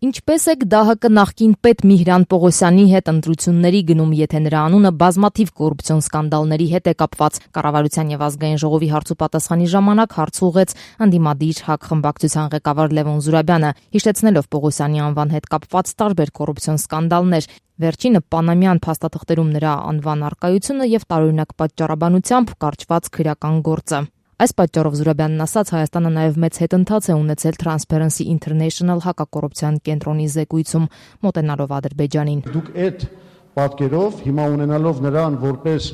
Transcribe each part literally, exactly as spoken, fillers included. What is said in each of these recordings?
Ինչպես եք ԴԱՀԿ նախկին պետ Միհրան Պողոսյանի հետ ընտրությունների գնում, եթե նրա անունը բազմաթիվ կոռուպցիոն սկանդալների հետ է կապված։ Կառավարության եւ ազգային ժողովի հարցուպատասխանի ժամանակ հարց ուղղեց ընդդիմադիր ՀԱԿ խմբակցության ղեկավար Լևոն Զուրաբյանը, հիշեցնելով Պողոսյանի անվան հետ կապված տարբեր կոռուպցիոն սկանդալներ։ Վերջինը Պանամյան փաստաթղթերում նրա անվան առկայությունը եւ տարօրինակ պատճառաբանությամբ կարճված քրեական գործը։ Այս պատճառով Զուրաբյանն ասաց, Հայաստանը նաև մեծ հետընթաց է ունեցել Transparency International հակակոռուպցիոն կենտրոնի զեկույցում, մոտենալով Ադրբեջանին։ Դուք այդ պատկերով հիմա ունենալով նրան որպես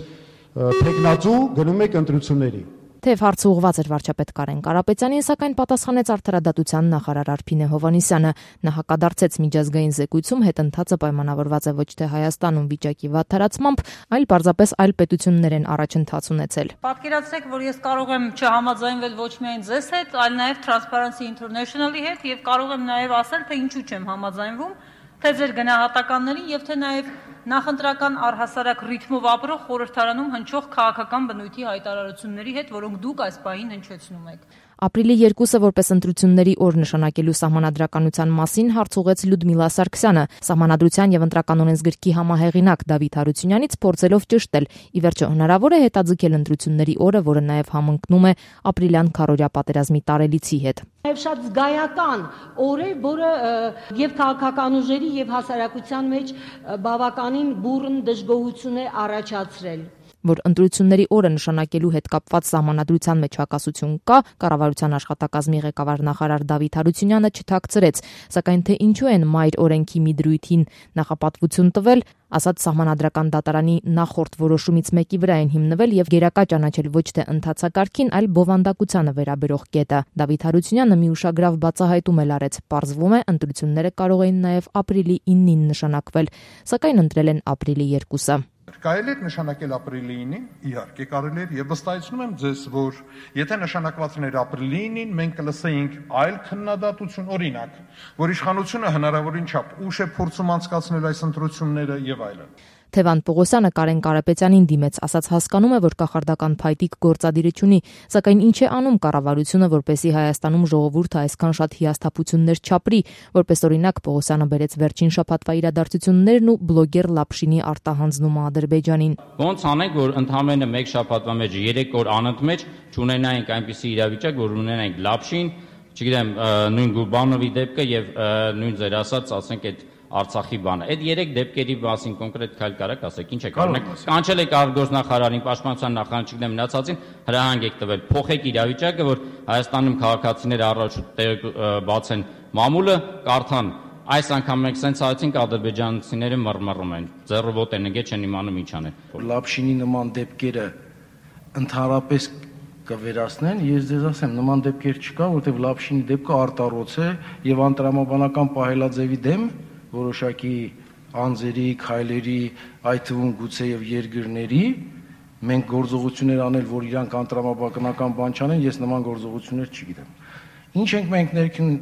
թեկնածու գնում եք ընտրությունների։ Թեև հարցը ուղղված էր վարչապետ Կարեն Կարապետյանին, սակայն պատասխանեց արդարադատության նախարար Արփինե Հովհաննիսյանը։ Նա հակադարձեց միջազգային զեկույցում հետընթացը պայմանավորված է ոչ թե Հայաստանում վիճակի վատթարացմամբ, այլ պարզապես այլ պետություններ են առաջընթաց ունեցել։ Պատկերացրեք, որ ես կարող եմ չհամաձայնվել ոչ միայն ձեզ հետ, այլ նաև Transparency International-ի հետ եւ կարող եմ նաև ասել, թե ինչու չեմ համաձայնվում, թե ձեր գնահատականներին եւ թե նաև նախընտրական առհասարակ ռիթմով ապրող խորհրդարանում հնչող քաղաքական բնույթի հայտարարությունների հետ, որոնք դուք այս պահին հնչեցնում եք։ Ապրիլի երկուսը որպես ընտրությունների օր նշանակելու սահմանադրականության մասին հարց ուղղեց Լյուդմիլա Սարգսյանը, Սահմանադրության եւ ընտրական օրենսգրքի համահեղինակ Դավիթ Հարությունյանից փորձելով ճշտել, ի վերջո հնարավոր է հետաձգել ընտրությունների օրը, որը նաեւ համընկնում է ապրիլյան քարորյա պատերազմի տարելիցի հետ։ Եվ շատ զգայական օր է, որը եւ քաղաքական ուժերի եւ հասարակության մեջ բավականին բուռն դժգոհություն է առաջացրել։ Որ ընտրությունների օրը նշանակելու հետ կապված սահմանադրության մեջ հակասություն կա, կառավարության աշխատակազմի ղեկավար նախարար Դավիթ Հարությունյանը չթաքցրեց, սակայն թե ինչու են մայր օրենքի մի դրույթին նախապատվություն տվել, ասած սահմանադրական դատարանի նախորդ որոշումից մեկի վրա են հիմնվել եւ գերակա ճանաչել ոչ թե ընթացակարգին, այլ բովանդակությանը վերաբերող կետը։ Դավիթ Հարությունյանը մի ուշագրավ բացահայտում էլ արեց. պարզվում է, ընտրությունները կարող էին նաեւ ապրիլի իննին նշանակվել, սակայն ընտրել են ապրիլի երկուսը։ Կարելի է նշանակել ապրիլի ինին, իհարկե կարելի է, եւ վստահեցնում եմ ձեզ, որ եթե նշանակված էր ապրիլի ինին, մենք կլսեինք այլ քննադատություն, օրինակ, որ իշխանությունը հնարավորին չափ ուշ է փորձում անցկացնել այս ընտրությունները եւ այլն։ Թևան Պողոսյանը Կարեն Կարապետյանին դիմեց, ասաց հասկանում է, որ կախարդական փայտիկ գործադիրը չունի, սակայն ինչ է անում կառավարությունը, որպեսզի Հայաստանում ժողովուրդը այսքան շատ հիասթափություններ չապրի, որպես օրինակ Պողոսյանը բերեց վերջին շաբաթվա իրադարձություններն ու բլոգեր Լապշինի արտահանձնումը Ադրբեջանին։ Ոնց անենք, որ ընդամենը մեկ շաբաթվա մեջ երեք օր անընդմեջ չունենայինք այնպիսի իրավիճակ, որ ունենայինք Լապշին, չգիտեմ, նույն Գուրբանովի դեպքը եւ նույն ձեր ասած, ասենք այդ Արցախի բանը։ Այդ երեք դեպքերի մասին կոնկրետ քայլ կարաք ասեք, ինչ եք արել։ Կանչել եք արտգործնախարարին, պաշտպանության նախարարին, չգիտեմ, մնացածին հրահանգ եք տվել, փոխեք իրավիճակը, որ Հայաստանում քաղաքացիները առաջ բացեն մամուլը, կարդան։ Այս անգամ մենք սենց այցինք ադրբեջանցիները մռմռում են, ձեռը ոտե նգե չեն իմանում ինչ անել։ Լապշինի նման դեպքերը ընդհանրապես կվերացնեն, ես ձեզ ասեմ, նման դեպքեր չկա, որտեղ Լապշինի դեպքը արտառոց է եւ անտրամաբանական պահելաձևի դեմ որոշակի անձերի, քայլերի, այդ թվում գուցե եւ երկրների մենք գործողություններ անել, որ իրանք անտրամաբանական բան չանեն, ես նման գործողություններ չգիտեմ։ Ինչ ենք մենք ներքին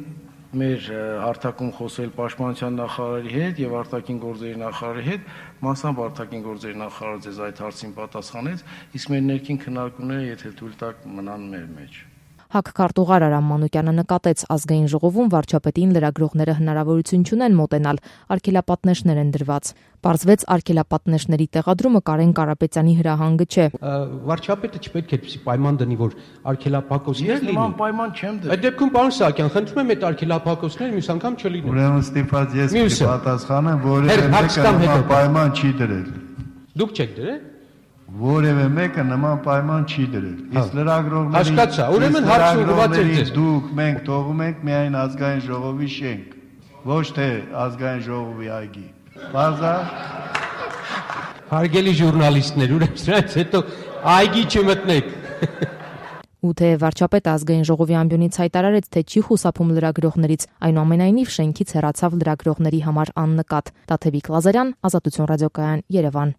մեր հարթակում խոսել պաշտպանության նախարարի հետ եւ արտաքին գործերի նախարարի հետ, մասամբ արտաքին գործերի նախարարը ձեզ այդ հարցին պատասխանեց, իսկ մեր ներքին քննարկումները, եթե թույլ տաք, մնան մեր մեջ։ ՀԱԿ քարտուղար Արամ Մանուկյանը նկատեց, ազգային ժողովում վարչապետին լրագրողները հնարավորություն չունեն մոտենալ, արգելապատնեշներ են դրված։ Պարզվեց արգելապատնեշների տեղադրումը Կարեն Կարապետյանի հրահանգը չէ։ Վարչապետը չպետք է այդպիսի պայման դնի, որ արգելափակոսներ լինի։ Ես նման պայման չեմ դրել։ Այդ դեպքում պարոն Սահակյան, խնդրում եմ այդ արգելափակոսները մյուս անգամ չլինեն։ Ուրեմն ստիպված ես կպատասխանեմ, որևէ մեկը պայման չի դրել։ Դուք չեք դրել։ Որևէ մեկը նման պայման չի դրել։ Իսկ լրագրողների Հասկացա, ուրեմն հարցը ուղղված է ձեզ։ Դուք մենք թողում ենք միայն ազգային ժողովի շենք, ոչ թե ազգային ժողովի այգի։ Բարձա։ Հարգելի ժուրնալիստներ, ուրեմն սրանից հետո այգի չմտնեք։ Ու թե վարչապետը ազգային ժողովի ամբիոնից հայտարարեց, թե չի խուսափում լրագրողներից, այնուամենայնիվ շենքից հեռացավ լրագրողների համար աննկատ։ Տաթևիկ Լազարյան, Ազատություն ռադիոկայան, Երևան։